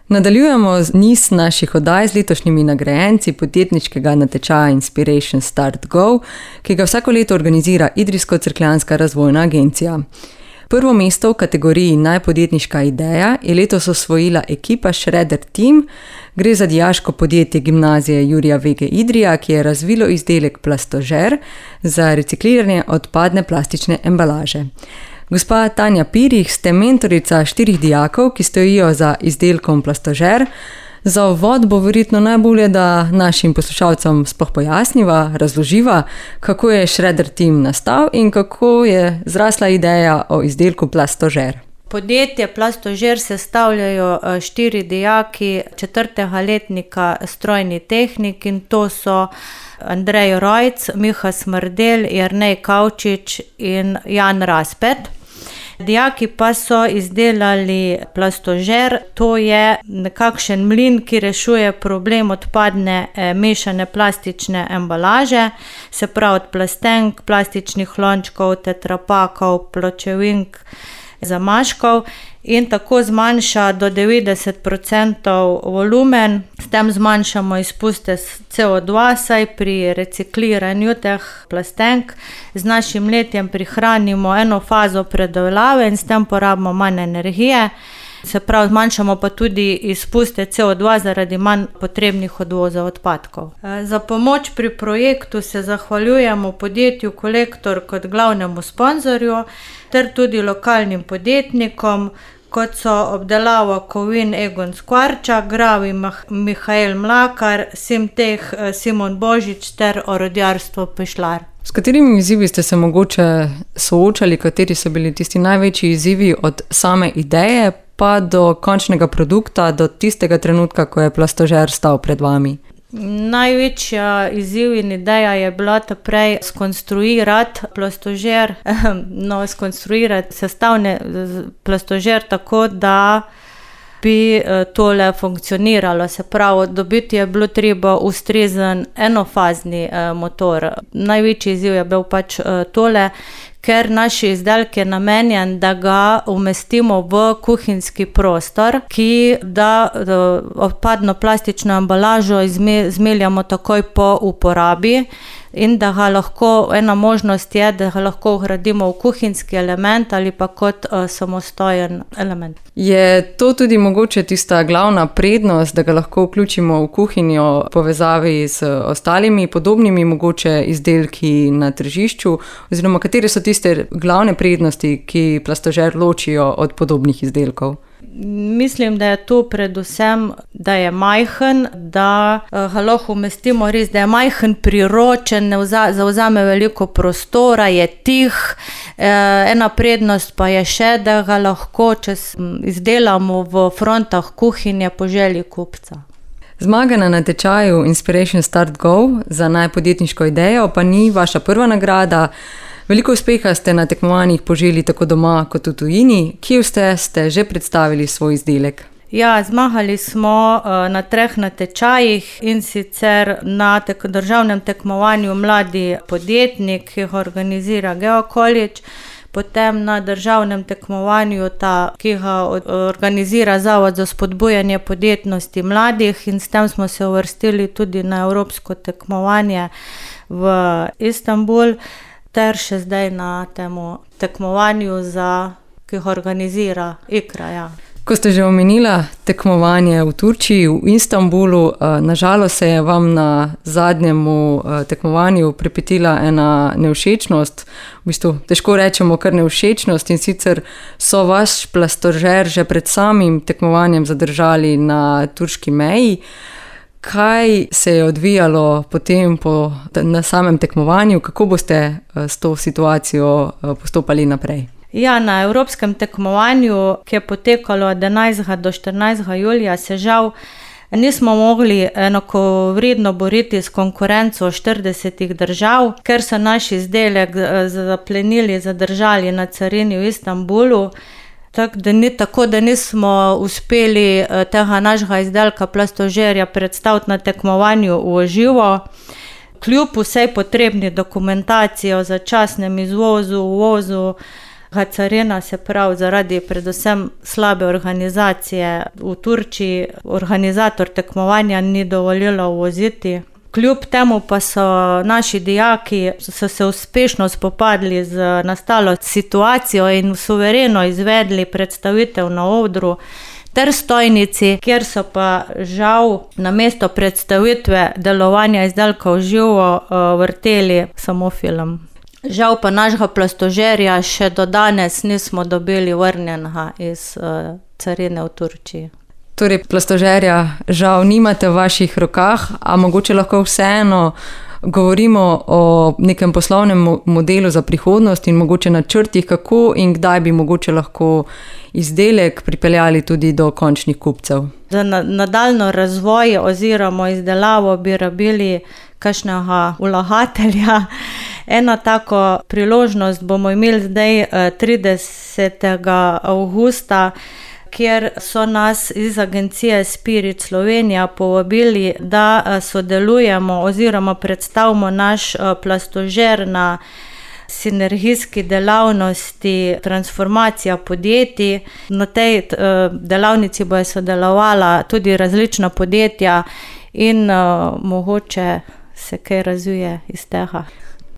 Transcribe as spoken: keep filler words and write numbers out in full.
Nadaljujemo z niz naših oddaj z letošnjimi nagrajenci podjetniškega natečaja Inspiration Start Go, ki ga vsako leto organizira Idrijsko-Cerkljanska razvojna agencija. Prvo mesto v kategoriji Najpodjetniška ideja je letos osvojila ekipa Shredder Team. Gre za dijaško podjetje Gimnazije Jurija Vege Idrija, ki je razvilo izdelek Plastožer za recikliranje odpadne plastične embalaže. Gospa Tanja Pirih, ste mentorica štirih dijakov, ki stojijo za izdelkom Plastožer. Za uvod bo verjetno najbolje, da našim poslušalcem sploh pojasniva, razloživa, kako je Shredder Team nastal in kako je zrasla ideja o izdelku Plastožer. Podjetje Plastožer sestavljajo štiri dijaki četrtega letnika strojni tehnik in to so Andrej Rojc, Miha Smrdelj, Jernej Kavčič in Jan Raspet. Dijaki pa so izdelali Plastožer, to je nekakšen mlin, ki rešuje problem odpadne mešane plastične embalaže, se pravi od plastenk, plastičnih lončkov, tetrapakov, pločevink, zamaškov in tako zmanjša do devetdeset procentov volumen. S tem zmanjšamo izpuste C O dva, saj pri recikliranju teh plastenk z našim letjem prihranimo eno fazo predelave in s tem porabimo manj energije. Se pravi, zmanjšamo pa tudi izpuste C O dva zaradi manj potrebnih odvoza odpadkov. Za pomoč pri projektu se zahvaljujemo podjetju Kolektor kot glavnemu sponzorju ter tudi lokalnim podjetnikom, kot so obdelava kovin Egon Skvarčak, Gravi Mihael Mlakar, Simteh Simon Božič ter Orodjarstvo Pešlar. S katerimi izzivi ste se mogoče soočali, kateri so bili tisti največji izzivi od same ideje pa do končnega produkta, do tistega trenutka, ko je Plastožer stal pred vami? Največja izziv in ideja je bila prej skonstruirati Plastožer, no, skonstruirati sestavne Plastožer tako, da bi tole funkcioniralo. Se pravi, dobiti je bilo treba ustrezen enofazni motor. Največji izziv je bil pač tole, ker naš izdelek je namenjen, da ga umestimo v kuhinjski prostor, ki da odpadno plastično embalažo zmeljamo takoj po uporabi in da ga lahko, ena možnost je, da ga lahko vgradimo v kuhinjski element ali pa kot uh, samostojen element. Je to tudi mogoče tista glavna prednost, da ga lahko vključimo v kuhinjo v povezavi z ostalimi podobnimi mogoče izdelki na tržišču, oziroma katere so tiste glavne prednosti, ki Plastožer ločijo od podobnih izdelkov? Mislim, da je to predvsem, da je majhen, da ga lahko umestimo res, da je majhen, priročen, ne zavzame veliko prostora, je tih. Ena prednost pa je še, da ga lahko izdelamo v frontah kuhinje po želji kupca. Zmaga na natečaju Inspiration Start Go za najpodjetniško idejo pa ni vaša prva nagrada. Veliko uspeha ste na tekmovanjih poželi tako doma kot v tujini. Kje ste, ste že predstavili svoj izdelek? Ja, zmagali smo na treh natečajih in sicer na tek- državnem tekmovanju Mladi podjetnik, ki ga organizira GeoCollege, potem na državnem tekmovanju, ta, ki ga organizira Zavod za spodbujanje podjetnosti mladih, in s tem smo se uvrstili tudi na evropsko tekmovanje v Istanbul, ter še zdaj na temu tekmovanju, za, ki ga organizira Ikra. Ja. Ko ste že omenila tekmovanje v Turčiji, v Istanbulu, nažalost se je vam na zadnjemu tekmovanju pripetila ena nevšečnost, v bistvu težko rečemo kar nevšečnost, in sicer so vaš Plastožer že pred samim tekmovanjem zadržali na turški meji. Kaj se je odvijalo potem po, na samem tekmovanju, kako boste s to situacijo postopali naprej? Ja, na evropskem tekmovanju, ki je potekalo od enajstega do štirinajstega julija, se žal nismo mogli enakovredno boriti s konkurenco štiridesetih držav, ker so naš izdelek zaplenili, zadržali na carini v Istanbulu. Tako da, ni, tako da nismo uspeli tega našega izdelka Plastožerja predstaviti na tekmovanju v živo. Kljub vsej potrebni dokumentaciji o začasnem izvozu, uvozu, Carina, se pravi zaradi predvsem slabe organizacije v Turčiji, organizator tekmovanja ni dovolila uvoziti. Kljub temu pa so naši dijaki so se uspešno spopadli z nastalo situacijo in suvereno izvedli predstavitev na odru ter stojnici, kjer so pa žal namesto predstavitve delovanja izdelkov živo vrteli samo film. Žal pa našega plastožerja še do danes nismo dobili vrnjenega iz carine v Turčiji. Torej, plastožerja žal nimate v vaših rokah, a mogoče lahko vseeno govorimo o nekem poslovnem modelu za prihodnost in mogoče načrtih, kako in kdaj bi mogoče lahko izdelek pripeljali tudi do končnih kupcev. Za nadaljnjo razvoj oziroma izdelavo bi rabili kakšnega vlagatelja. Eno tako priložnost bomo imeli zdaj tridesetega avgusta, kjer so nas iz agencije Spirit Slovenija povabili, da sodelujemo oziroma predstavimo naš plastožer na sinergijski delavnosti transformacija podjetij. Na tej delavnici bojo sodelovala tudi različna podjetja in mogoče se kaj razvije iz tega.